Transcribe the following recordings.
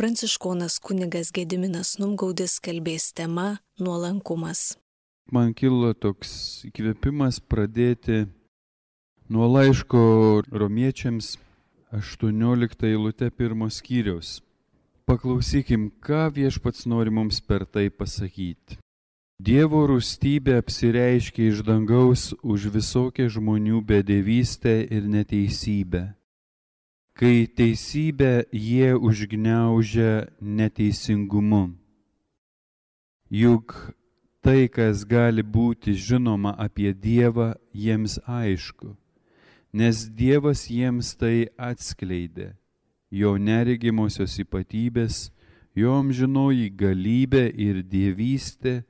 pranciškonas kunigas Gediminas Numgaudis kalbės tema nuolankumas. Man kilo toks įkvėpimas pradėti nuo laiško Romiečiams 18 eilutė 1 skyriaus. Paklausykim, ką Viešpats nori mums per tai pasakyti. Dievo rūstybė apsireiškia iš dangaus už visokią žmonių bedevystę ir neteisybę. Kai teisybę jie užgniaužia neteisingumu. Juk tai, kas gali būti žinoma apie Dievą, jiems aišku, nes Dievas jiems tai atskleidė. Jo neregimosios ypatybės, jo amžinoji galybė ir dievystė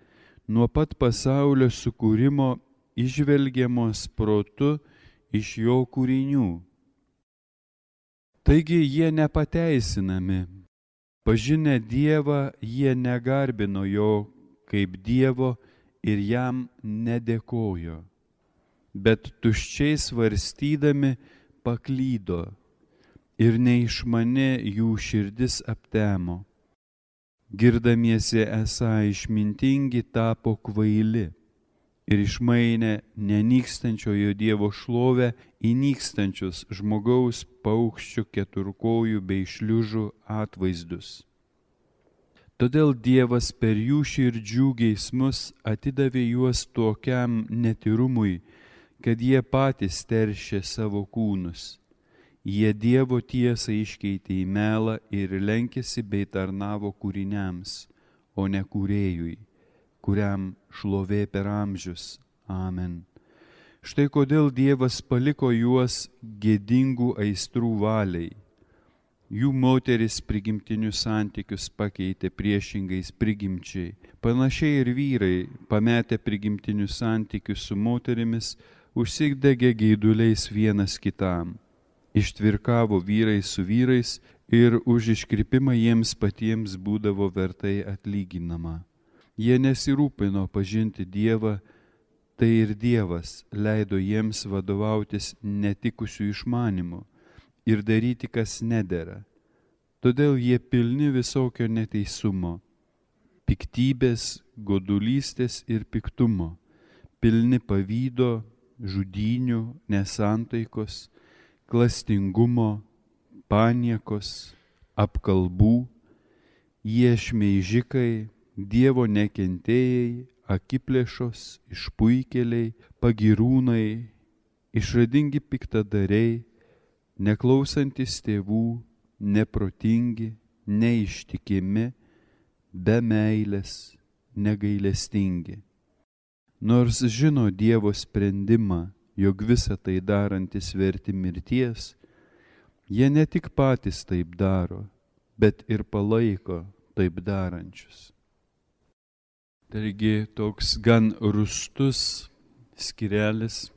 nuo pat pasaulio sukūrimo įžvelgiamos protu iš jo kūrinių. Taigi jie nepateisinami. Pažinę Dievą, jie negarbino jo kaip Dievo ir jam nedėkojo, bet tuščiai svarstydami paklydo. Ir neišmani jų širdis aptemo. Girdamiesi esą išmintingi tapo kvaili ir išmainė nenykstančiojo Dievo šlovę į nykstančius žmogaus, paukščių, keturkojų bei šliužų atvaizdus. Todėl Dievas per jų širdžių geismus atidavė juos tokiam netyrumui, kad jie patys teršė savo kūnus. Jie Dievo tiesą iškeitė į melą ir lenkėsi bei tarnavo kūriniams, o ne kūrėjui, kuriam šlovė per amžius. Amen. Štai kodėl Dievas paliko juos gėdingų aistrų valiai. Jų moteris prigimtinius santykius pakeitė priešingais prigimčiai. Panašiai ir vyrai, pametę prigimtinius santykius su moterimis, užsidegė geiduliais vienas kitam. Ištvirkavo vyrai su vyrais ir už iškrypimą jiems patiems būdavo vertai atlyginama. Jie nesirūpino pažinti Dievą, tai ir Dievas leido jiems vadovautis netikusių išmanimų ir daryti, kas nedera. Todėl jie pilni visokio neteisumo, piktybės, godulystės ir piktumo, pilni pavydo, žudynių, nesantaikos, klastingumo, paniekos, apkalbų, jie šmeižikai, Dievo nekentėjai, akiplėšos, išpuikėliai, pagyrūnai, išradingi piktadariai, neklausantis tėvų, neprotingi, neištikimi, be meilės, negailestingi. Nors žino Dievo sprendimą, jog visą tai darantis verti mirties, jie ne tik patys taip daro, bet ir palaiko taip darančius. Taigi toks gan rūstus skyrelis,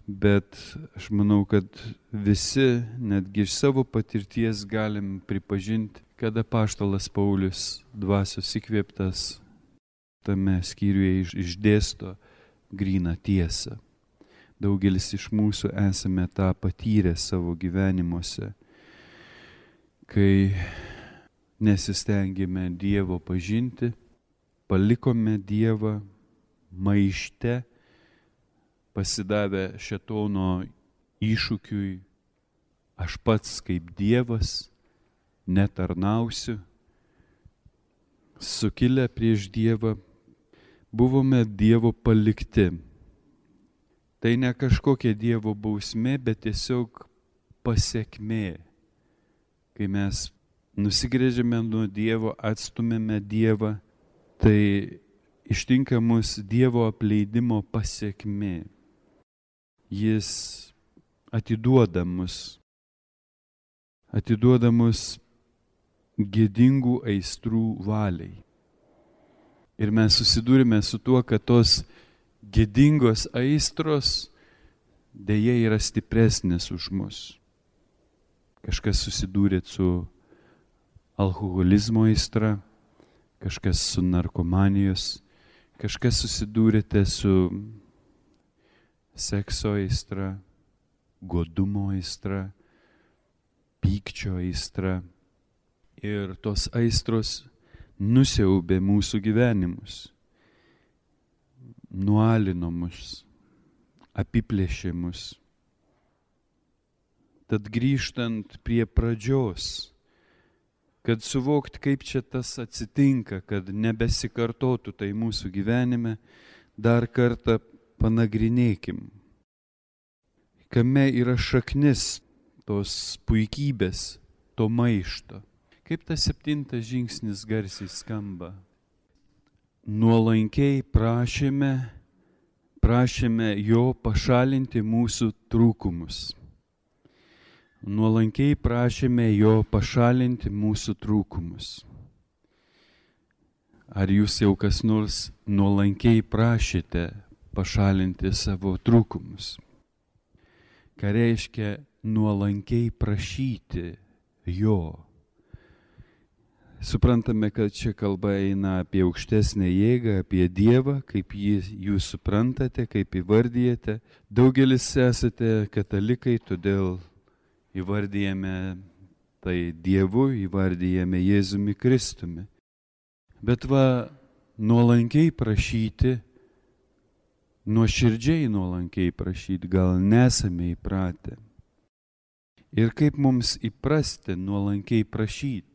bet aš manau, kad visi, netgi iš savo patirties galim pripažinti, kad apaštalas Paulius dvasios įkvėptas tame skyriuje išdėsto gryną tiesą. Daugelis iš mūsų esame tą patyrę savo gyvenimuose, kai nesistengėme Dievo pažinti, palikome Dievą maište, pasidavę šėtono iššūkiui, aš pats kaip Dievas netarnausiu, sukilę prieš Dievą, buvome Dievo palikti. Tai ne kažkokia Dievo bausmė, bet tiesiog pasekmė. Kai mes nusigręžiame nuo Dievo, atstumėme Dievą, tai ištinka mus Dievo apleidimo pasekmė. Jis atiduoda mus gėdingų aistrų valiai. Ir mes susidūrime su tuo, kad tos gėdingos aistros dėja yra stipresnės už mus. Kažkas susidūrė su alkoholizmo aistra, kažkas su narkomanijos, kažkas susidūrėte su sekso aistra, godumo aistra, pykčio aistra. Ir tos aistros nusiaubė mūsų gyvenimus, nualino mus, apiplėšė mus. Tad grįžtant prie pradžios, kad suvokt, kaip čia tas atsitinka, kad nebesikartotų tai mūsų gyvenime, dar kartą panagrinėkim, kame yra šaknis tos puikybės, to maišto. Kaip tas 7 žingsnis garsiai skamba. Nuolankiai prašėme jo pašalinti mūsų trūkumus. Nuolankiai prašėme jo pašalinti mūsų trūkumus. Ar jūs jau kas nors nuolankiai prašėte pašalinti savo trūkumus? Ką reiškia nuolankiai prašyti jo? Suprantame, kad čia kalba eina apie aukštesnę jėgą, apie Dievą, kaip jūs suprantate, kaip įvardyjate. Daugelis esate katalikai, todėl įvardyjame tai Dievu, įvardyjame Jėzumi Kristumi. Bet nuolankiai prašyti, nuoširdžiai nuolankiai prašyti, gal nesame įpratę. Ir kaip mums įprasti nuolankiai prašyti?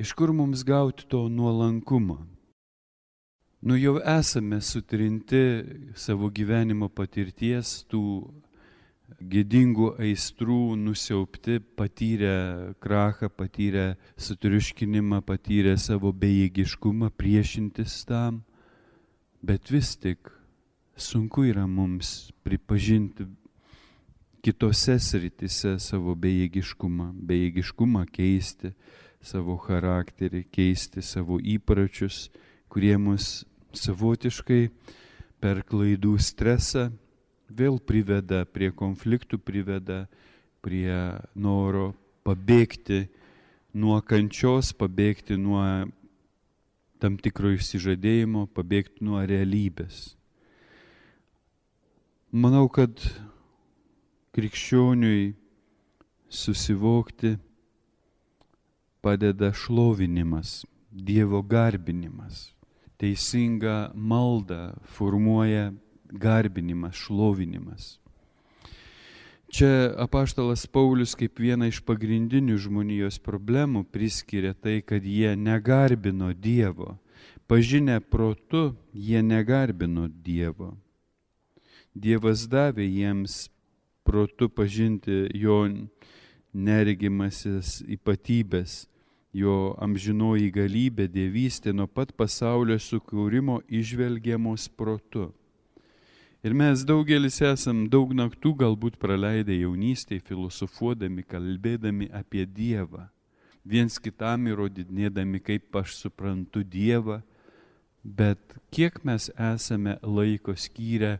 Iš kur mums gauti to nuolankumą? Jau esame sutrinti savo gyvenimo patirties, tų gėdingų aistrų nusiaubti, patyrę krachą, patyrę sutriuškinimą, patyrę savo bejėgiškumą, priešintis tam. Bet vis tik sunku yra mums pripažinti kitose sritise savo bejėgiškumą keisti, savo charakterį, keisti savo įpročius, kurie mus savotiškai per klaidų stresą vėl priveda prie konfliktų, priveda prie noro pabėgti nuo kančios, pabėgti nuo tam tikro išsižadėjimo, pabėgti nuo realybės. Manau, kad krikščioniui susivokti padeda šlovinimas, Dievo garbinimas. Teisinga malda formuoja garbinimas, šlovinimas. Čia apaštalas Paulius kaip vieną iš pagrindinių žmonijos problemų priskiria tai, kad jie negarbino Dievo. Pažinę protu, jie negarbino Dievo. Dievas davė jiems protu pažinti jo neregimasis ypatybės, jo amžinoji galybė, dievystė nuo pat pasaulio sukūrimo įžvelgiamos protu. Ir mes daugelis esam daug naktų galbūt praleidę jaunystėje, filosofuodami, kalbėdami apie Dievą, viens kitam įrodinėdami, kaip aš suprantu Dievą, bet kiek mes esame laiko skyrę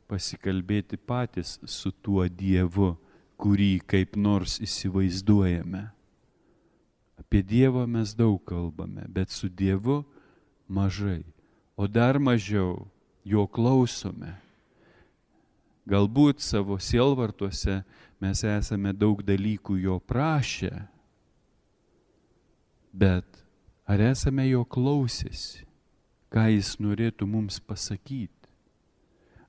pasikalbėti patys su tuo Dievu, kurį kaip nors įsivaizduojame. Apie Dievą mes daug kalbame, bet su Dievu mažai, o dar mažiau jo klausome. Galbūt savo sielvartuose mes esame daug dalykų jo prašę, bet ar esame jo klausėsi, ką jis norėtų mums pasakyti?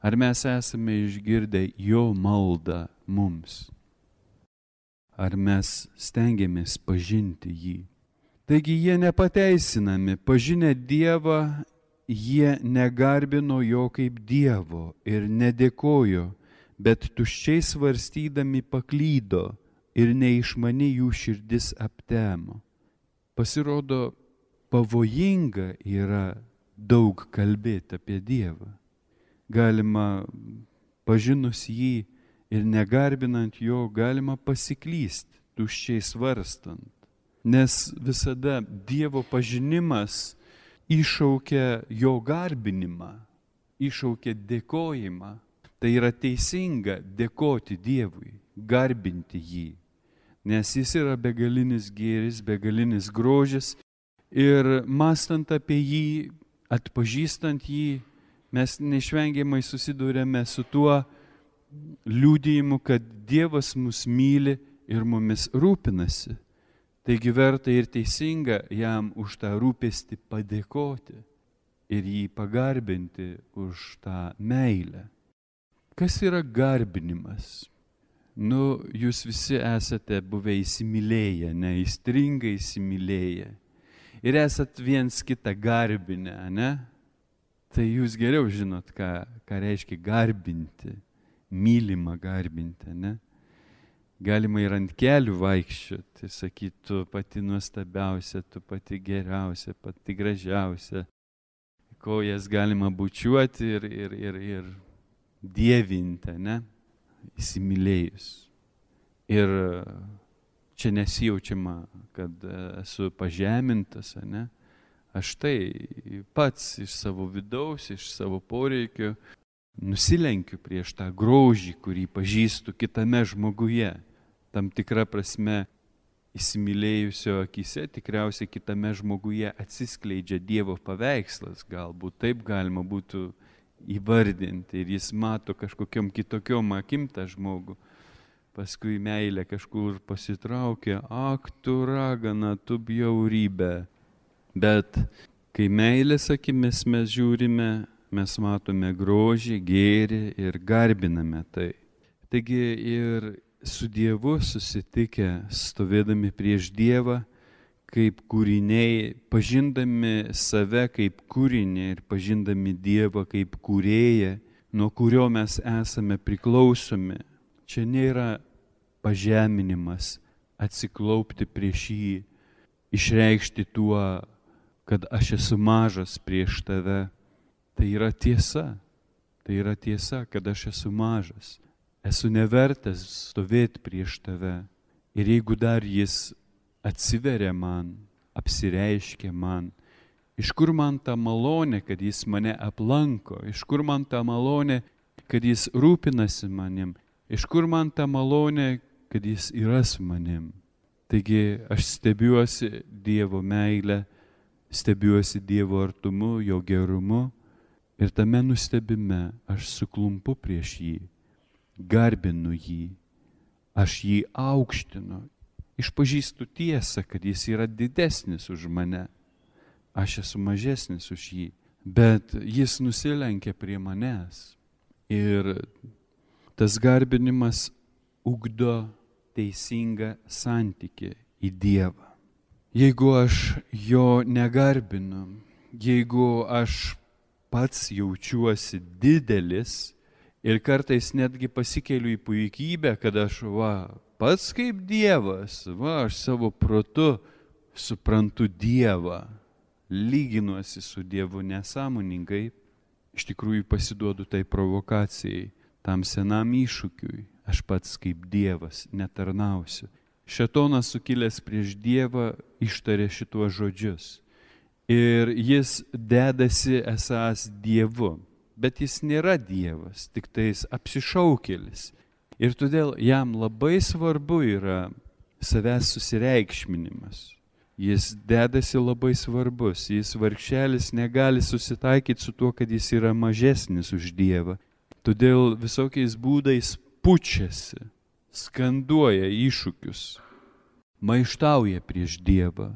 Ar mes esame išgirdę jo maldą mums? Ar mes stengiamės pažinti jį? Taigi jie nepateisinami, pažinę Dievą, jie negarbino jo kaip Dievo ir nedėkojo, bet tuščiai svarstydami paklydo ir neišmani jų širdis aptemo. Pasirodo, pavojinga yra daug kalbėti apie Dievą. Galima pažinus jį ir negarbinant jo, galima pasiklysti, tuščiai svarstant. Nes visada Dievo pažinimas iššaukia jo garbinimą, iššaukia dėkojimą. Tai yra teisinga dėkoti Dievui, garbinti jį. Nes jis yra begalinis gėris, begalinis grožis. Ir mąstant apie jį, atpažįstant jį, mes neišvengiamai susidūrėme su tuo liudijimu, kad Dievas mus myli ir mumis rūpinasi. Taigi verta ir teisinga jam už tą rūpestį padėkoti ir jį pagarbinti už tą meilę. Kas yra garbinimas? Jūs visi esate buvę įsimylėję, neįstringai įsimylėję. Ir esat viens kitą garbinę, ne? Tai jūs geriau žinot, ką reiškia garbinti, mylimą garbinti, ne? Galima ir ant kelių vaikščioti, sakyti, tu pati nuostabiausia, tu pati geriausia, pati gražiausia. Kojas galima bučiuoti ir dievinti, ne? Įsimylėjus. Ir čia nesijaučiama, kad esu pažemintas, ne? Aš tai pats iš savo vidaus, iš savo poreikio nusilenkiu prieš tą grožį, kurį pažįstu kitame žmoguje. Tam tikra prasme įsimylėjusio akise tikriausiai kitame žmoguje atsiskleidžia Dievo paveikslas, galbūt taip galima būtų įvardinti, ir jis mato kažkokiom kitokiom akim tą žmogų. Paskui meilė kažkur pasitraukia, ak tu ragana, tu bjaurybė. Bet kai meilės akimis mes žiūrime, mes matome grožį, gėrį ir garbiname tai. Taigi ir su Dievu susitikę, stovėdami prieš Dievą, kaip kūriniai, pažindami save kaip kūrinį ir pažindami Dievą kaip kūrėją, nuo kurio mes esame priklausomi. Čia nėra pažeminimas, atsiklaupti prieš jį, išreikšti tuo, kad aš esu mažas prieš tave. Tai yra tiesa. Tai yra tiesa, kad aš esu mažas. Esu nevertas stovėti prieš tave. Ir jeigu dar jis atsiveria man, apsireiškia man, iš kur man ta malonė, kad jis mane aplanko, iš kur man ta malonė, kad jis rūpinasi manim, iš kur man ta malonė, kad jis yra su manim. Taigi aš stebiuosi Dievo meilę, stebiuosi Dievo artumu, jo gerumu, ir tame nustebime aš suklumpu prieš jį, garbinu jį, aš jį aukštinu, išpažįstu tiesą, kad jis yra didesnis už mane, aš esu mažesnis už jį, bet jis nusilenkia prie manęs. Ir tas garbinimas ugdo teisingą santykį į Dievą. Jeigu aš jo negarbinu, jeigu aš pats jaučiuosi didelis ir kartais netgi pasikeliu į puikybę, kad aš pats kaip Dievas, aš savo protu suprantu Dievą, lyginuosi su Dievu nesąmoningai, iš tikrųjų pasiduodu tai provokacijai, tam senam iššūkiui, aš pats kaip Dievas netarnausiu. Šėtonas sukilęs prieš Dievą ištarė šituos žodžius. Ir jis dedasi esąs Dievu, bet jis nėra Dievas, tik tais apsišaukėlis. Ir todėl jam labai svarbu yra savęs susireikšminimas. Jis dedasi labai svarbus, jis vargšelis negali susitaikyti su tuo, kad jis yra mažesnis už Dievą. Todėl visokiais būdais pučiasi, skanduoja iššūkius, maištauja prieš Dievą.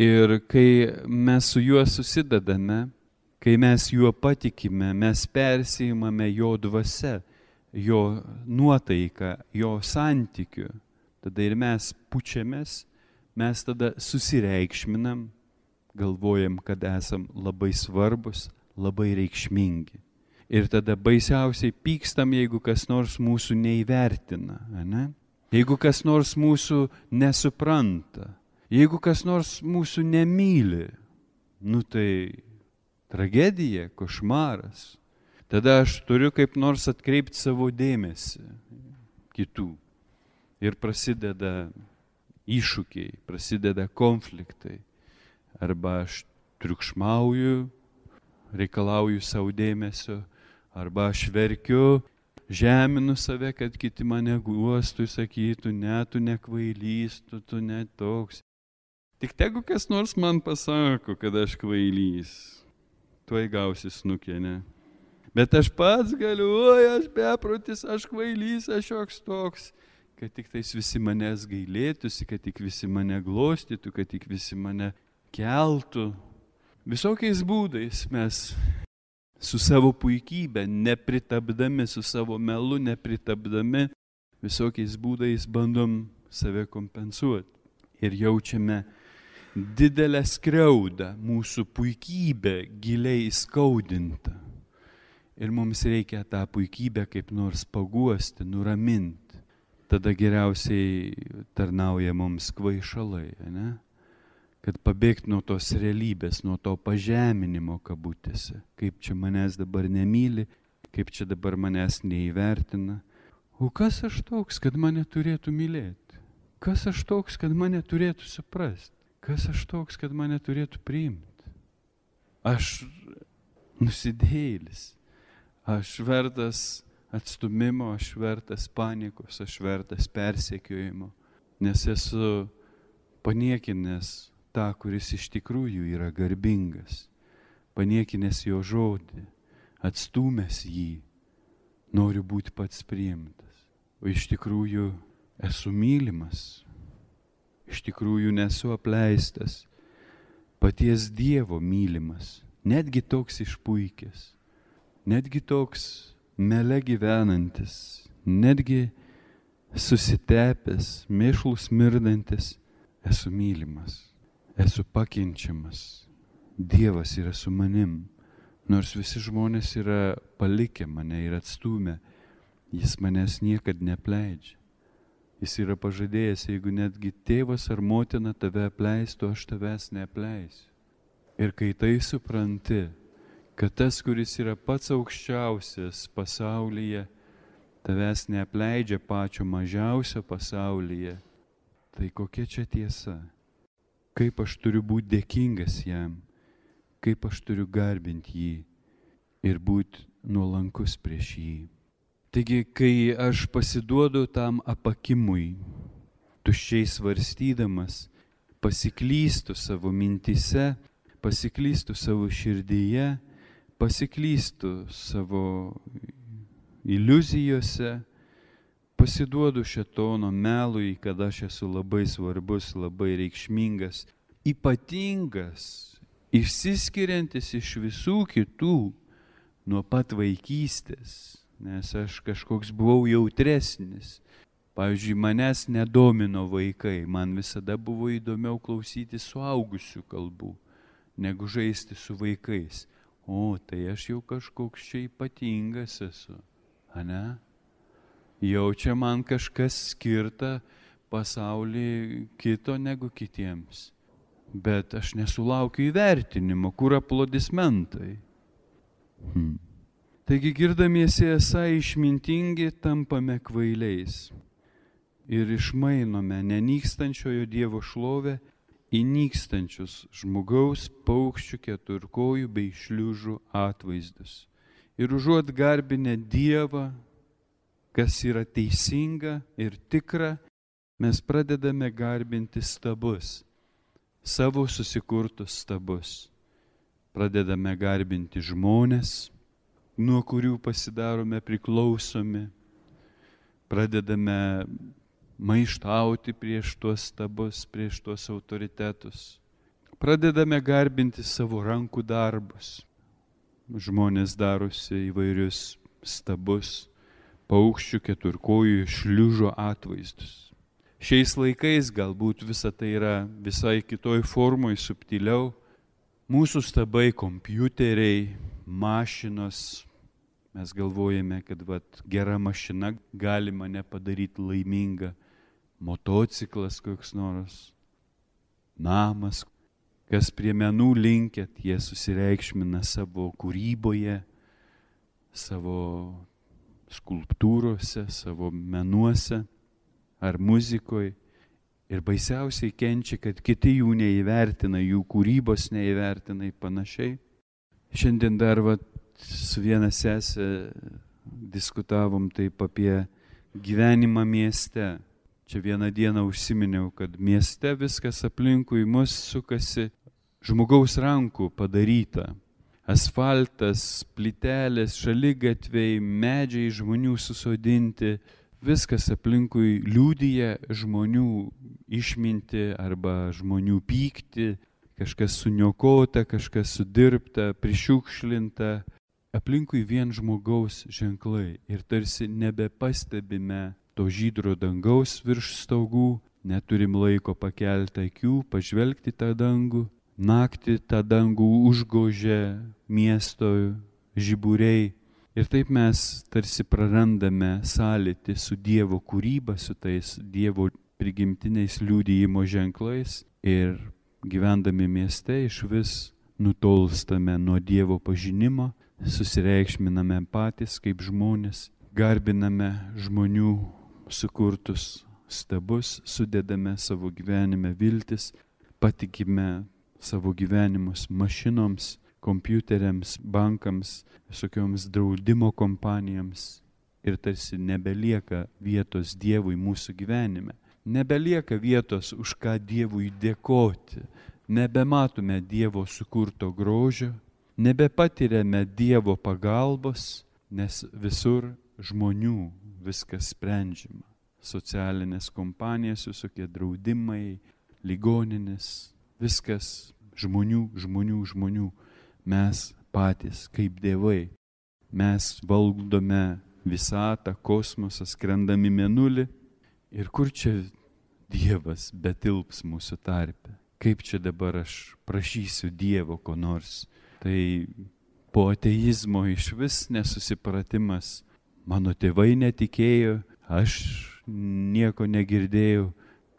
Ir kai mes su juo susidedame, kai mes juo patikime, mes persiimame jo dvasia, jo nuotaiką, jo santykiu. Tada ir mes pučiamės, mes tada susireikšminam, galvojam, kad esam labai svarbus, labai reikšmingi. Ir tada baisiausiai pykstam, jeigu kas nors mūsų neįvertina, ne? Jeigu kas nors mūsų nesupranta. Jeigu kas nors mūsų nemyli, tai tragedija, košmaras. Tada aš turiu kaip nors atkreipti savo dėmesį kitų. Ir prasideda iššūkiai, prasideda konfliktai. Arba aš triukšmauju, reikalauju savo dėmesio, arba aš verkiu, žeminu save, kad kiti mane guostų, sakytų, ne, tu nekvailys, tu ne toks. Tik tegu kas nors man pasako, kad aš kvailys, tuoj gausi snukė, ne? Bet aš pats galiu, aš beprotis, aš kvailys, aš joks toks. kad tik tais visi manęs gailėtųsi, kad tik visi mane glostytų, kad tik visi mane keltų. Visokiais būdais mes su savo puikybė, nepritapdami, su savo melu nepritapdami, visokiais būdais bandom save kompensuoti. Ir jaučiame didelę skriaudą, mūsų puikybė giliai įskaudinta. Ir mums reikia tą puikybę kaip nors paguosti, nuraminti. Tada geriausiai tarnauja mums kvaišalai, ne? Kad pabėgti nuo tos realybės, nuo to pažeminimo kabutėse. Kaip čia manęs dabar nemyli, kaip čia dabar manęs neįvertina. O kas aš toks, kad mane turėtų mylėti? Kas aš toks, kad mane turėtų suprasti? Kas aš toks, kad mane turėtų priimti? Aš nusidėjėlis. Aš vertas atstumimo, aš vertas panikos, aš vertas persekiojimo. Nes esu paniekinęs tą, kuris iš tikrųjų yra garbingas, paniekinęs jo žodį, atstūmęs jį, noriu būti pats priimtas. O iš tikrųjų esu mylimas, iš tikrųjų nesu apleistas, paties Dievo mylimas, netgi toks išpuikęs, netgi toks mele gyvenantis, netgi susitepęs, mėšlus mirdantis, esu mylimas. Esu pakenčiamas. Dievas yra su manim. Nors visi žmonės yra palikę mane ir atstūmę, jis manęs niekad neapleidžia. Jis yra pažadėjęs, jeigu netgi tėvas ar motina tave apleistų, aš tavęs neapleisiu. Ir kai tai supranti, kad tas, kuris yra pats aukščiausias pasaulyje, tavęs neapleidžia pačio mažiausio pasaulyje, tai kokia čia tiesa? Kaip aš turiu būti dėkingas jam, kaip aš turiu garbinti jį ir būti nuolankus prieš jį. Taigi, kai aš pasiduodu tam apakimui, tuščiai svarstydamas, pasiklystu savo mintise, pasiklystu savo širdyje, pasiklystu savo iliuzijose, pasiduodu šėtono melui, kad aš esu labai svarbus, labai reikšmingas, ypatingas, išsiskiriantis iš visų kitų nuo pat vaikystės, nes aš kažkoks buvau jautresnis. Pavyzdžiui, manęs nedomino vaikai, man visada buvo įdomiau klausyti suaugusių kalbų, negu žaisti su vaikais. O, tai aš jau kažkoks čia ypatingas esu, ane? Jau čia man kažkas skirta pasaulį kito negu kitiems. Bet aš nesulaukiu įvertinimo, kur aplodismentai. Taigi girdamiesi esą išmintingi, tampame kvailiais ir išmainome nenykstančiojo Dievo šlovę į nykstančius žmogaus, paukščių, keturkojų bei šliužų atvaizdus. Ir užuot garbinę Dievą, kas yra teisinga ir tikra, mes pradedame garbinti stabus, savo susikurtus stabus. Pradedame garbinti žmones, nuo kurių pasidarome priklausomi. Pradedame maištauti prieš tuos stabus, prieš tuos autoritetus. Pradedame garbinti savo rankų darbus. Žmonės darosi įvairius stabus, paukščių, keturkojų, šliužo atvaizdus. Šiais laikais galbūt visa tai yra visai kitoj formoj, subtiliau. Mūsų stabai kompiuteriai, mašinos. Mes galvojame, kad gera mašina gali mane padaryti laimingą. Motociklas koks nors, namas. Kas prie menų linkėt, jie susireikšmina savo kūryboje, savo skulptūrose, savo menuose ar muzikoje. Ir baisiausiai kenčia, kad kiti jų neįvertina, jų kūrybos neįvertina ir panašiai. Šiandien dar su viena sesė diskutavom taip apie gyvenimą mieste. Čia vieną dieną užsiminiau, kad mieste viskas aplinkui mus sukasi žmogaus rankų padaryta. Asfaltas, plytelės, šaligatviai, medžiai žmonių susodinti, viskas aplinkui liūdija žmonių išminti arba žmonių pykti, kažkas suniokota, kažkas sudirbta, prišiukšlinta. Aplinkui vien žmogaus ženklai ir tarsi nebepastebime to žydro dangaus virš stogų, neturim laiko pakelti akių, pažvelgti tą dangų. Naktį tą dangų užgožia miesto žiburiai. Ir taip mes tarsi prarandame sąlytį su Dievo kūryba, su tais Dievo prigimtiniais liudijimo ženklais ir gyvendami mieste išvis nutolstame nuo Dievo pažinimo, susireikšminame patys kaip žmonės, garbiname žmonių sukurtus stabus, sudedame savo gyvenime viltis, patikime savo gyvenimus mašinoms, kompiuteriams, bankams, visokioms draudimo kompanijoms ir tarsi nebelieka vietos Dievui mūsų gyvenime. Nebelieka vietos, už ką Dievui dėkoti. Nebematome Dievo sukurto grožio, nebepatiriame Dievo pagalbos, nes visur žmonių viskas sprendžiama. Socialinės kompanijos, visokie draudimai, ligoninės, viskas žmonių. Mes patys kaip dievai. Mes valdome visatą, kosmosą, skrendami mėnulį. Ir kur čia Dievas betilps mūsų tarpe? Kaip čia dabar aš prašysiu Dievo ko nors? Tai po ateizmo išvis nesusipratimas. Mano tėvai netikėjo, aš nieko negirdėjau.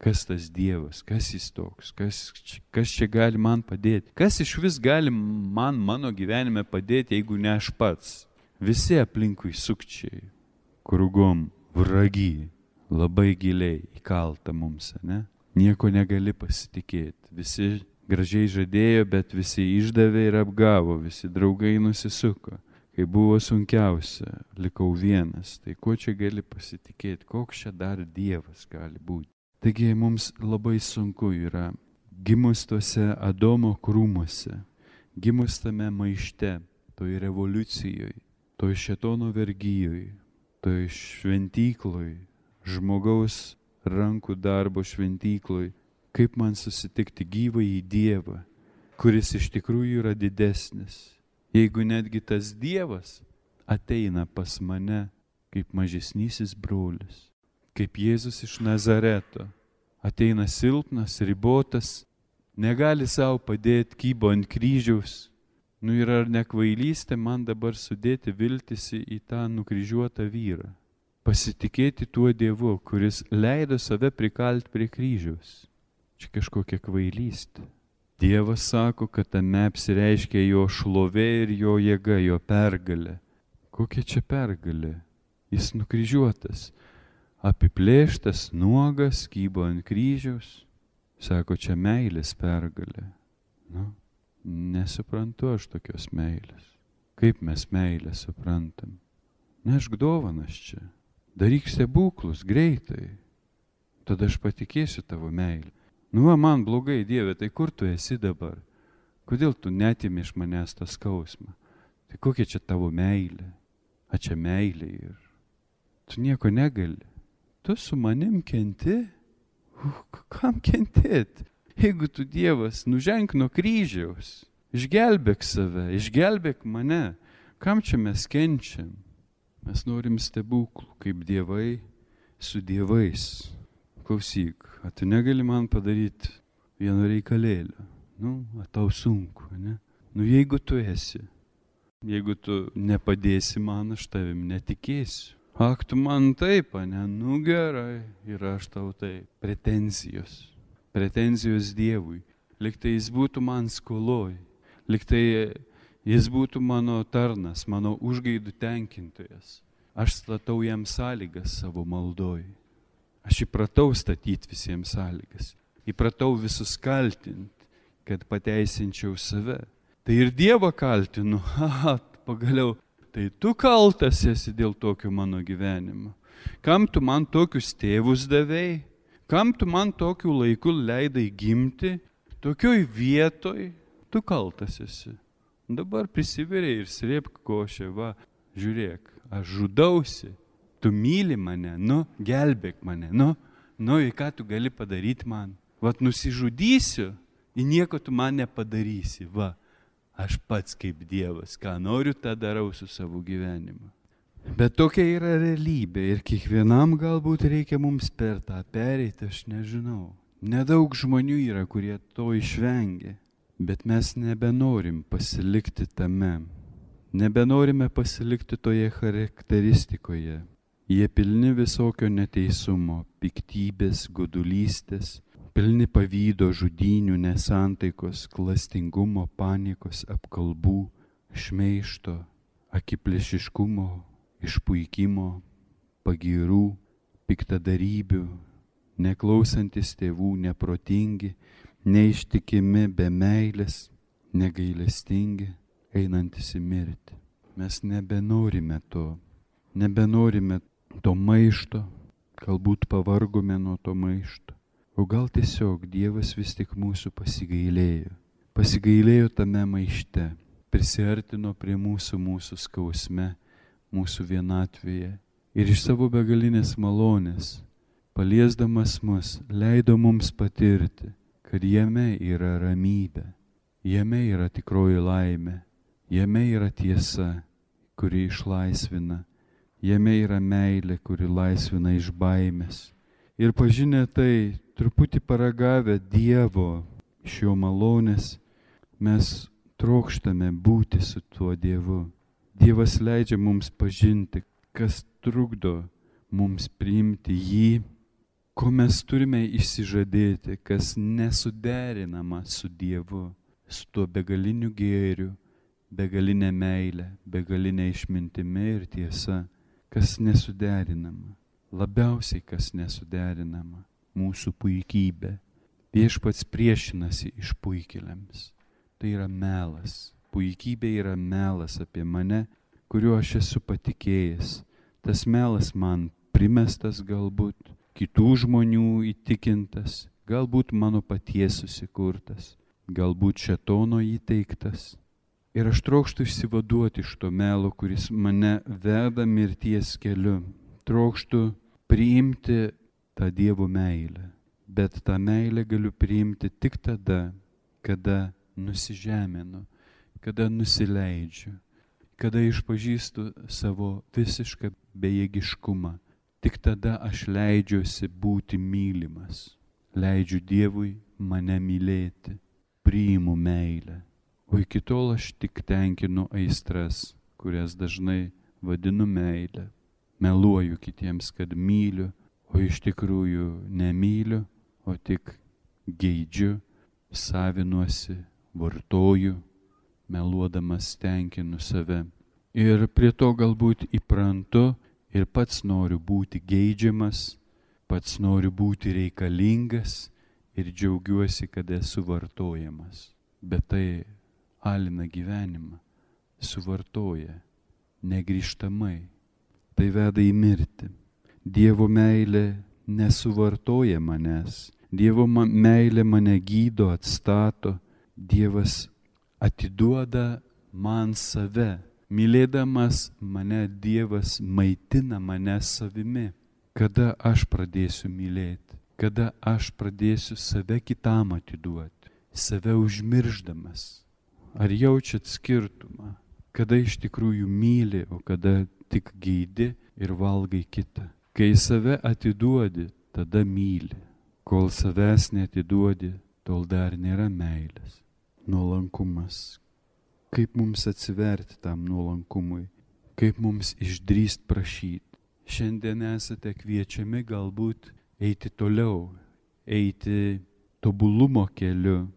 Kas tas Dievas, kas jis toks, kas čia gali man padėti? Kas išvis gali mano gyvenime padėti, jeigu ne aš pats? Visi aplinkui sukčiai, krūgom, vragi, labai giliai įkalta mums, ne? Nieko negali pasitikėti. Visi gražiai žadėjo, bet visi išdavė ir apgavo, visi draugai nusisuko. Kai buvo sunkiausia, likau vienas. Tai ko čia gali pasitikėti? Koks čia dar Dievas gali būti? Taigi mums labai sunku yra gimus tuose Adomo krūmuose, gimus tame maište, toj revoliucijoj, toj šėtono vergyjoj, toj šventykloj, žmogaus rankų darbo šventykloj, kaip man susitikti gyvąjį Dievą, kuris iš tikrųjų yra didesnis. Jeigu netgi tas Dievas ateina pas mane kaip mažesnysis brolis, kaip Jėzus iš Nazareto, ateina silpnas, ribotas, negali savo padėti, kybo ant kryžiaus. Ir ar nekvailystė man dabar sudėti viltis į tą nukryžiuotą vyrą? Pasitikėti tuo Dievu, kuris leido save prikalti prie kryžiaus. Čia kažkokia kvailystė. Dievas sako, kad tame apsireiškia jo šlovė ir jo jėga, jo pergalė. Kokia čia pergalė? Jis nukryžiuotas. Apiplėštas, nuogas, kybo ant kryžiaus. Sako, čia meilės pergalė. Nesuprantu aš tokios meilės. Kaip mes meilę suprantam? Nešk dovanas čia. Daryk stebuklus greitai. Tada aš patikėsiu tavo meilę. Man blogai, Dieve, tai kur tu esi dabar? Kodėl tu netimi iš manęs tą skausmą? Tai kokia čia tavo meilė? A čia meilė ir tu nieko negali. Tu su manim kenti? Kam kentėt? Jeigu tu Dievas, nuženk nuo kryžiaus, išgelbėk save, išgelbėk mane. Kam čia mes kenčiam? Mes norim stebuklų, kaip dievai su dievais. Klausyk, tu negali man padaryti vieno reikalėlio. Tau sunku, ne? Jeigu tu esi, jeigu tu nepadėsi man, aš tavim netikėsiu. Ak, tu man taip, ne? Gerai, ir aš tau taip. Pretenzijos Dievui. Liktai jis būtų man skoloj. Liktai jis būtų mano tarnas, mano užgaidų tenkintojas. Aš statau jam sąlygas savo maldoj. Aš įpratau statyti visiems sąlygas. Įpratau visus kaltinti, kad pateisinčiau save. Tai ir Dievą kaltinu. Pagaliau, tai tu kaltas esi dėl tokio mano gyvenimo. Kam tu man tokius tėvus davei? Kam tu man tokiu laiku leidai gimti? Tokioj vietoj tu kaltas esi. Dabar prisiveriai ir srėpk košę, žiūrėk, aš žudausi. tu myli mane, gelbėk mane, į ką tu gali padaryti man. Vat nusižudysiu, į nieko tu man nepadarysi, aš pats kaip Dievas, ką noriu, tą darau su savo gyvenimu. Bet tokia yra realybė ir kiekvienam galbūt reikia mums per tą pereiti, aš nežinau. Nedaug žmonių yra, kurie to išvengia, bet mes nebenorim pasilikti tame. Nebenorime pasilikti toje charakteristikoje. Jie pilni visokio neteisumo, piktybės, godulystės, pilni pavydo, žudynių, nesantaikos, klastingumo, panikos, apkalbų, šmeižto, akiplėšiškumo, išpuikimo, pagyrų, piktadarybių, neklausantis tėvų, neprotingi, neištikimi, be meilės, negailestingi, einantis į mirtį. Mes nebenorime to maišto, galbūt pavargome nuo to maišto. O gal tiesiog Dievas vis tik mūsų pasigailėjo tame maište, prisiartino prie mūsų skausme, mūsų vienatvėje ir iš savo begalinės malonės, paliesdamas mus, leido mums patirti, kad jame yra ramybė, jame yra tikroji laimė, jame yra tiesa, kuri išlaisvina, jame yra meilė, kuri laisvina iš baimės. Ir pažinę tai, truputį paragavę Dievo iš jo malonės, mes trokštame būti su tuo Dievu. Dievas leidžia mums pažinti, kas trukdo mums priimti jį, ko mes turime išsižadėti, kas nesuderinama su Dievu, su tuo begaliniu gėriu, begalinė meilė, begalinė išmintimi ir tiesa, kas nesuderinama. Labiausiai kas nesuderinama - mūsų puikybė. Viešpats priešinasi išpuikėliams. Tai yra melas. Puikybė yra melas apie mane, kuriuo aš esu patikėjęs. Tas melas man primestas galbūt, kitų žmonių įtikintas, galbūt mano paties susikurtas, galbūt šėtono įteiktas. Ir aš trokštu išsivaduoti iš to melo, kuris mane veda mirties keliu. Trokštu priimti tą Dievo meilę. Bet tą meilę galiu priimti tik tada, kada nusižeminu, kada nusileidžiu, kada išpažįstu savo visišką bejėgiškumą. Tik tada aš leidžiuosi būti mylimas. Leidžiu Dievui mane mylėti, priimu meilę. O iki tol aš tik tenkinu aistras, kurias dažnai vadinu meilę. Meluoju kitiems, kad myliu, o iš tikrųjų nemyliu, o tik geidžiu, savinuosi, vartoju, meluodamas tenkinu save. Ir prie to galbūt įprantu ir pats noriu būti geidžiamas, pats noriu būti reikalingas ir džiaugiuosi, kad esu vartojamas. Bet tai alina gyvenimą, suvartoja negrįžtamai. Tai veda į mirtį. Dievo meilė nesuvartoja manęs. Dievo meilė mane gydo, atstato. Dievas atiduoda man save. Mylėdamas mane, Dievas maitina mane savimi. Kada aš pradėsiu mylėti? Kada aš pradėsiu save kitam atiduoti? Save užmirždamas. Ar jaučiat skirtumą? Kada iš tikrųjų myli, o kada tik geidi ir valgai kitą. Kai save atiduodi, tada myli. Kol savęs neatiduodi, tol dar nėra meilės. Nuolankumas. Kaip mums atsiverti tam nuolankumui? Kaip mums išdrįst prašyti? Šiandien esate kviečiami galbūt eiti toliau, eiti tobulumo keliu,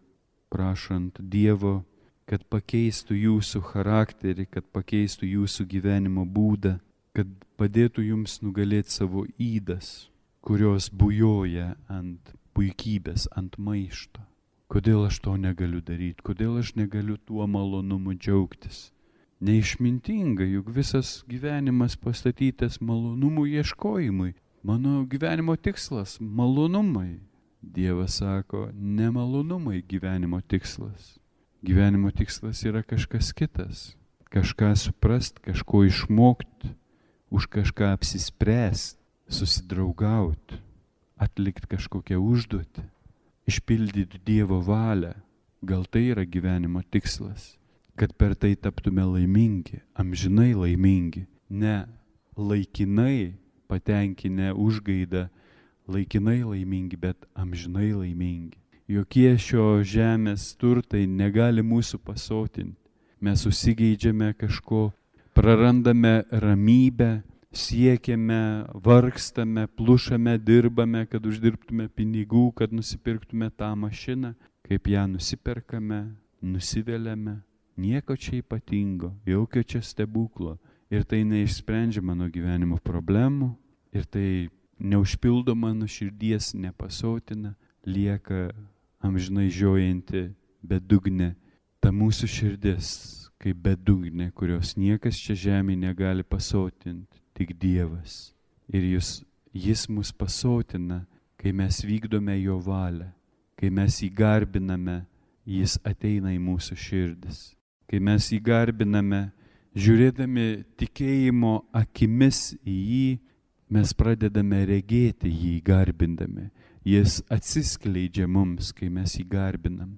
prašant Dievo, kad pakeistų jūsų charakterį, kad pakeistų jūsų gyvenimo būdą, kad padėtų jums nugalėti savo ydas, kurios bujoja ant puikybės, ant maišto. Kodėl aš to negaliu daryti? Kodėl aš negaliu tuo malonumu džiaugtis? Neišmintinga, juk visas gyvenimas pastatytas malonumų ieškojimui. Mano gyvenimo tikslas – malonumai. Dievas sako, ne malonumai gyvenimo tikslas. Gyvenimo tikslas yra kažkas kitas. Kažką suprast, kažko išmokti, už kažką apsispręsti, susidraugauti, atlikti kažkokią užduotį, išpildyti Dievo valią. Gal tai yra gyvenimo tikslas, kad per tai taptume laimingi, amžinai laimingi, ne laikinai patenkinę užgaidą, laikinai laimingi, bet amžinai laimingi. Jokie šio žemės turtai negali mūsų pasotinti. Mes susigeidžiame kažko, prarandame ramybę, siekiame, vargstame, plušame, dirbame, kad uždirbtume pinigų, kad nusipirktume tą mašiną. Kaip ją nusiperkame, nusiveliame, nieko čia ypatingo, jokio čia stebuklo. Ir tai neišsprendžia mano gyvenimo problemų, ir tai neužpildo mano širdies, nepasotina, lieka amžinai žiojanti bedugnė. Ta mūsų širdis kaip bedugnė, kurios niekas čia žemėje negali pasotinti, tik Dievas. Ir jis mus pasotina, kai mes vykdome jo valią, kai mes jį garbiname, jis ateina į mūsų širdis. Kai mes jį garbiname, žiūrėdami tikėjimo akimis į jį, mes pradedame regėti jį garbindami. Jis atsiskleidžia mums, kai mes jį garbinam,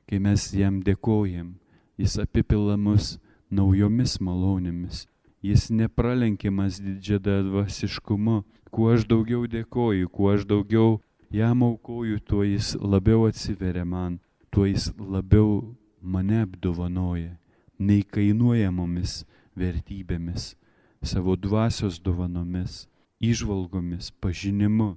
kai mes jam dėkojam. Jis apipila mus naujomis malonėmis. Jis nepralenkiamas didžiadvasiškumu. Kuo aš daugiau dėkoju, kuo aš daugiau jam aukoju, tuo jis labiau atsiveria man, tuo jis labiau mane apdovanoja, neįkainuojamomis vertybėmis, savo dvasios dovanomis, įžvalgomis, pažinimu,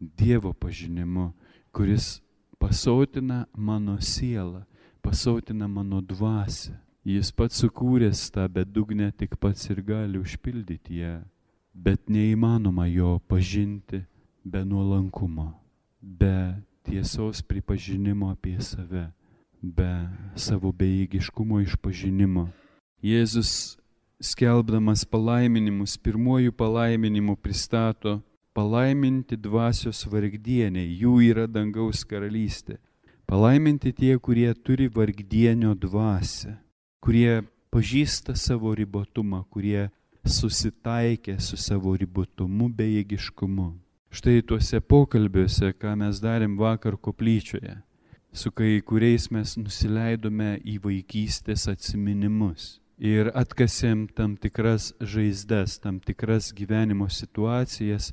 Dievo pažinimu, kuris pasotina mano sielą, pasotina mano dvasią. Jis pats sukūręs tą bedugnę, tik pats ir gali užpildyti ją, bet neįmanoma jo pažinti be nuolankumo, be tiesos pripažinimo apie save, be savo bejėgiškumo išpažinimo. Jėzus, skelbdamas palaiminimus, pirmuoju palaiminimu pristato: palaiminti dvasios vargdieniai, jų yra dangaus karalystė. Palaiminti tie, kurie turi vargdienio dvasią, kurie pažįsta savo ribotumą, kurie susitaikė su savo ribotumu, bejėgiškumu. Štai tuose pokalbiuose, ką mes darėm vakar koplyčioje, su kai kuriais mes nusileidome į vaikystės atsiminimus ir atkasėm tam tikras žaizdas, tam tikras gyvenimo situacijas,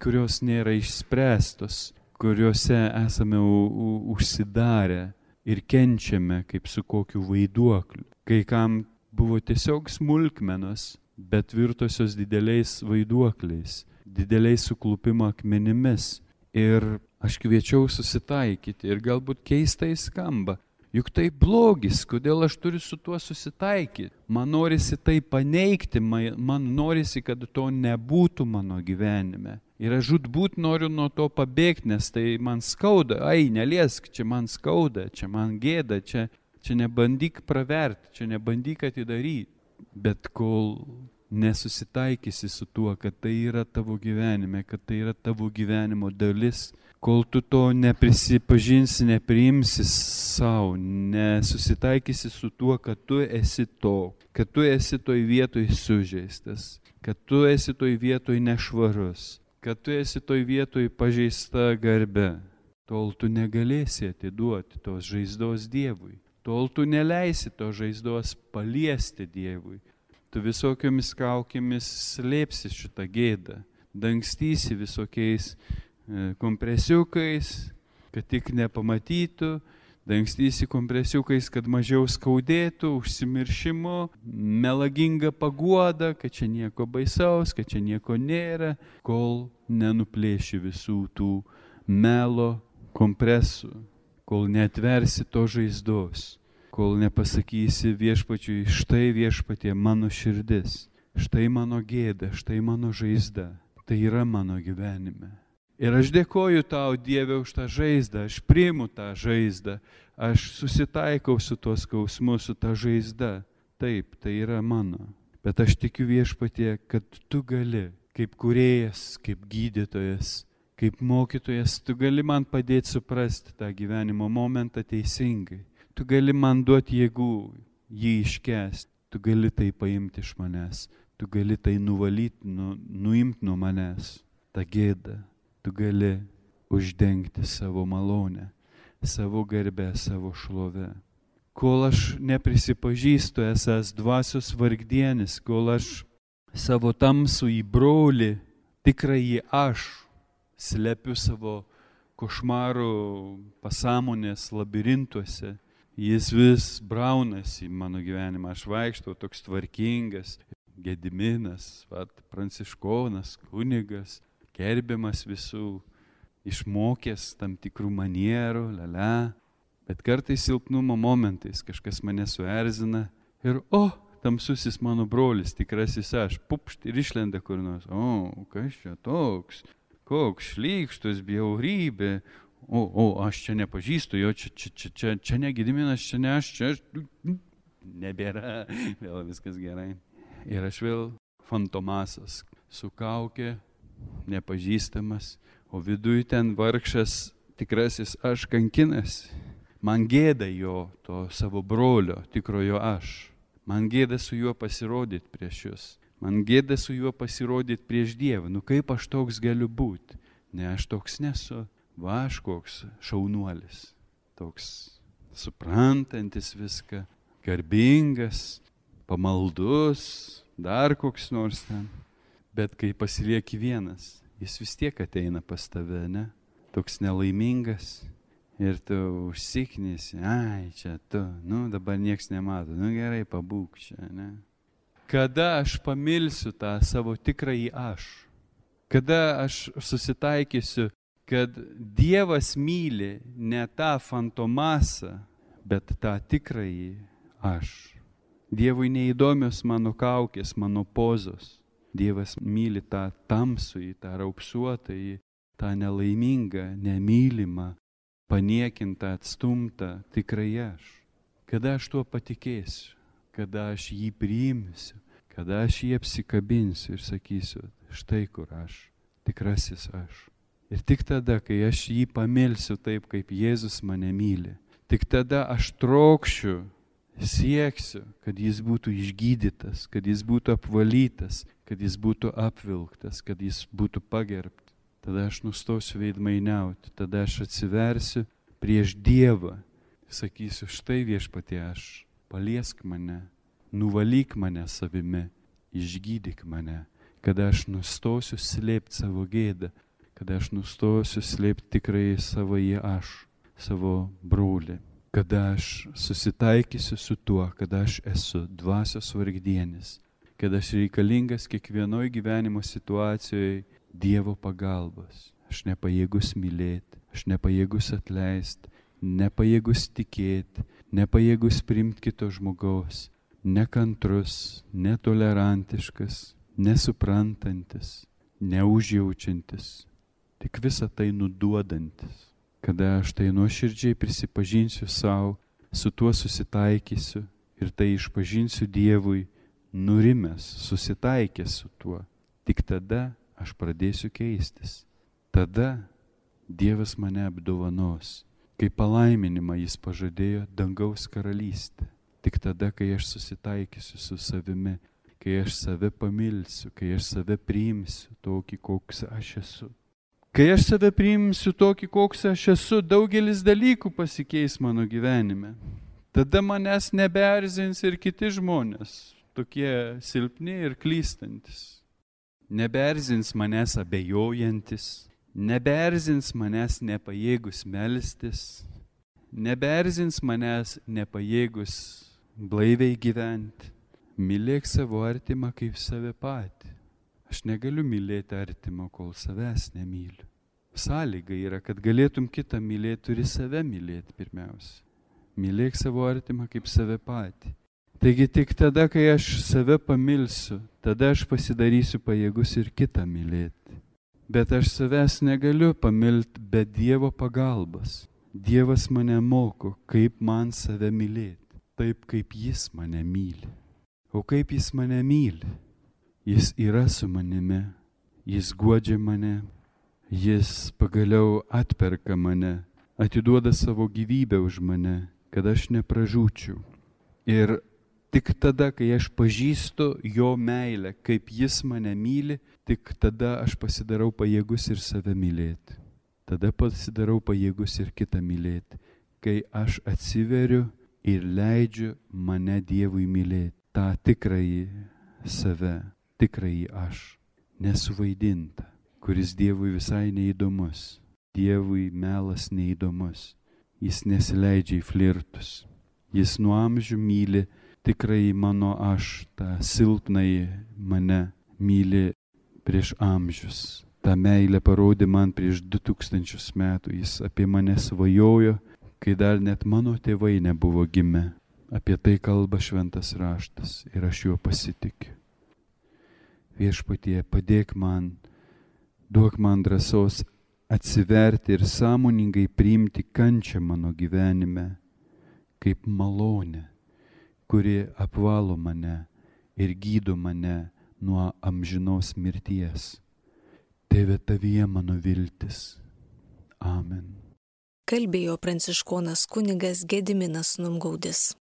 kurios nėra išspręstos, kuriuose esame užsidarę ir kenčiame kaip su kokiu vaiduokliu. Kai kam buvo tiesiog smulkmenos, bet virtosios dideliais vaiduokliais, dideliais suklupimo akmenimis. Ir aš kviečiau susitaikyti ir galbūt keistai skamba. Juk tai blogis, kodėl aš turiu su tuo susitaikyti? Man norisi tai paneigti, man norisi, kad to nebūtų mano gyvenime. Ir aš žūtbūt noriu nuo to pabėgti, nes tai man skauda. Ai, neliesk, čia man skauda, čia man gėda, čia nebandyk praverti, čia nebandyk atidaryti. Bet kol nesusitaikysi su tuo, kad tai yra tavo gyvenime, kad tai yra tavo gyvenimo dalis, kol tu to neprisipažinsi, nepriimsi savo, nesusitaikysi su tuo, kad tu esi to, kad tu esi toj vietoj sužeistas, kad tu esi toj vietoj nešvarus, kad tu esi toj vietoj pažeista garbe, tol tu negalėsi atiduoti tos žaizdos Dievui, tol tu neleisi tos žaizdos paliesti Dievui. Tu visokiomis kaukėmis slėpsi šitą gėdą, dangstysi visokiais kompresiukais, kad tik nepamatytų, dangstysi kompresiukais, kad mažiau skaudėtų, užsimiršimu, melaginga paguoda, kad čia nieko baisaus, kad čia nieko nėra, kol nenuplėši visų tų melo kompresų, kol neatversi to žaizdos, kol nepasakysi viešpačiui: štai viešpatie mano širdis, štai mano gėda, štai mano žaizda, tai yra mano gyvenime. Ir aš dėkoju tau, Dieve, už tą žaizdą, aš priimu tą žaizdą, aš susitaikau su tuo skausmu, su tą žaizda. Taip, tai yra mano. Bet aš tikiu, viešpatie, kad tu gali, kaip kūrėjas, kaip gydytojas, kaip mokytojas, tu gali man padėti suprasti tą gyvenimo momentą teisingai. Tu gali man duoti jėgų jį iškęsti, tu gali tai paimti iš manęs, tu tu gali tai nuvalyti, nuimti nuo manęs, tą gėdą. Tu gali uždengti savo malonę, savo garbę, savo šlovę. Kol aš neprisipažįstu esąs dvasios vargdienis, kol aš savo tamsų į brolį, tikrąjį aš, slepiu savo košmarų pasąmonės labirintuose, jis vis braunasi į mano gyvenimą. Aš vaikštau toks tvarkingas, Gediminas, pranciškonas, kunigas, gerbiamas visų, išmokęs tam tikrų manierų, bet kartais silpnumo momentais kažkas mane suerzina ir tamsusis mano brolis, tikrasis aš, pupšt ir išlenda kur nors. Kas čia toks? Koks šlykštus, bjaurybė. Aš čia nepažįstu jo, čia ne Gediminas, čia ne aš, čia nebėra, vėl viskas gerai. Ir aš vėl fantomasas, su kaukė, nepažįstamas, o viduj ten vargšas tikrasis aš kankinasi. Man gėda jo, to savo brolio, tikrojo aš. Man gėda su juo pasirodyti prieš jūs. Man gėda su juo pasirodyti prieš Dievą. Kaip aš toks galiu būti? Ne, aš toks nesu. Aš koks šaunuolis. Toks suprantantis viską, garbingas, pamaldus, dar koks nors ten. Bet kai pasilieki vienas, jis vis tiek ateina pas tave, ne? Toks nelaimingas. Ir tu užsiknisi, čia tu, dabar nieks nemato, gerai, pabūk čia, ne? Kada aš pamilsiu tą savo tikrąjį aš? Kada aš susitaikysiu, kad Dievas myli ne tą fantomasą, bet tą tikrąjį aš? Dievui neįdomios mano kaukės, mano pozos. Dievas myli tą tamsųjį, tą raupsuotąjį, tą nelaimingą, nemylimą, paniekintą, atstumtą, tikrai aš. Kada aš tuo patikėsiu, kada aš jį priimsiu, kada aš jį apsikabinsiu ir sakysiu, štai kur aš, tikrasis aš. Ir tik tada, kai aš jį pamilsiu taip, kaip Jėzus mane myli, tik tada aš trokšiu, sieksiu, kad jis būtų išgydytas, kad jis būtų apvalytas, kad jis būtų apvilktas, kad jis būtų pagerbtas. Tada aš nustosiu veidmainiauti, tada aš atsiversiu prieš Dievą, sakysiu, štai Viešpatie aš, paliesk mane, nuvalyk mane savimi, išgydyk mane, kada aš nustosiu slėpti savo gėdą, kada aš nustosiu slėpti tikrai savąjį aš, savo brolį, kada aš susitaikysiu su tuo, kada aš esu dvasios vargdienis, kada aš reikalingas kiekvienoj gyvenimo situacijoje Dievo pagalbos. Aš nepajėgus mylėti, aš nepajėgus atleisti, nepajėgus tikėti, nepajėgus priimti kito žmogaus, nekantrus, netolerantiškas, nesuprantantis, neužjaučiantis, tik visą tai nuduodantis. Kada aš tai nuoširdžiai prisipažinsiu savo, su tuo susitaikysiu ir tai išpažinsiu Dievui, nurimęs, susitaikęs su tuo, tik tada aš pradėsiu keistis. Tada Dievas mane apdovanos, kai palaiminimą jis pažadėjo dangaus karalystę. Tik tada, kai aš susitaikysiu su savimi, kai aš save pamilsiu, kai aš save priimsiu tokį, koks aš esu. Kai aš save priimsiu tokį, koks aš esu, daugelis dalykų pasikeis mano gyvenime. Tada manęs nebeerzins ir kiti žmonės, tokie silpni ir klystantis. Nebeerzins manęs abejojantis, nebeerzins manęs nepajėgus melstis, nebeerzins manęs nepajėgus blaiviai gyventi. Mylėk savo artimą kaip save patį. Aš negaliu mylėti artimą, kol savęs nemyliu. Sąlyga yra, kad galėtum kitą mylėti, turi save mylėti pirmiausia. Mylėk savo artimą kaip save patį. Taigi tik tada, kai aš save pamilsiu, tada aš pasidarysiu pajėgus ir kitą mylėti. Bet aš savęs negaliu pamilti be Dievo pagalbos. Dievas mane moko, kaip man save mylėti, taip kaip Jis mane myli. O kaip Jis mane myli? Jis yra su manimi, Jis guodžia mane, Jis pagaliau atperka mane, atiduoda savo gyvybę už mane, kad aš nepražūčiau. Ir Tik tada, kai aš pažįstu jo meilę, kaip jis mane myli, tik tada aš pasidarau pajėgus ir save mylėti. Tada pasidarau pajėgus ir kitą mylėti. Kai aš atsiveriu ir leidžiu mane Dievui mylėti. tą tikrąjį save, tikrąjį aš, nesuvaidintą, kuris Dievui visai neįdomus. Dievui melas neįdomus. Jis nesileidžia į flirtus. Jis nuo amžių myli tikrąjį mano aš, tą silpnąjį mane myli prieš amžius. Ta meilė parodė man prieš 2000 metų. Jis apie mane svajojo, kai dar net mano tėvai nebuvo gimę. Apie tai kalba šventas raštas ir aš juo pasitikiu. Viešpatie, padėk man, duok man drąsos atsiverti ir sąmoningai priimti kančią mano gyvenime kaip malonę, kuri apvalo mane ir gydo mane nuo amžinos mirties. Tėve, tavyje mano viltis. Amen. Kalbėjo pranciškonas kunigas Gediminas Numgaudis.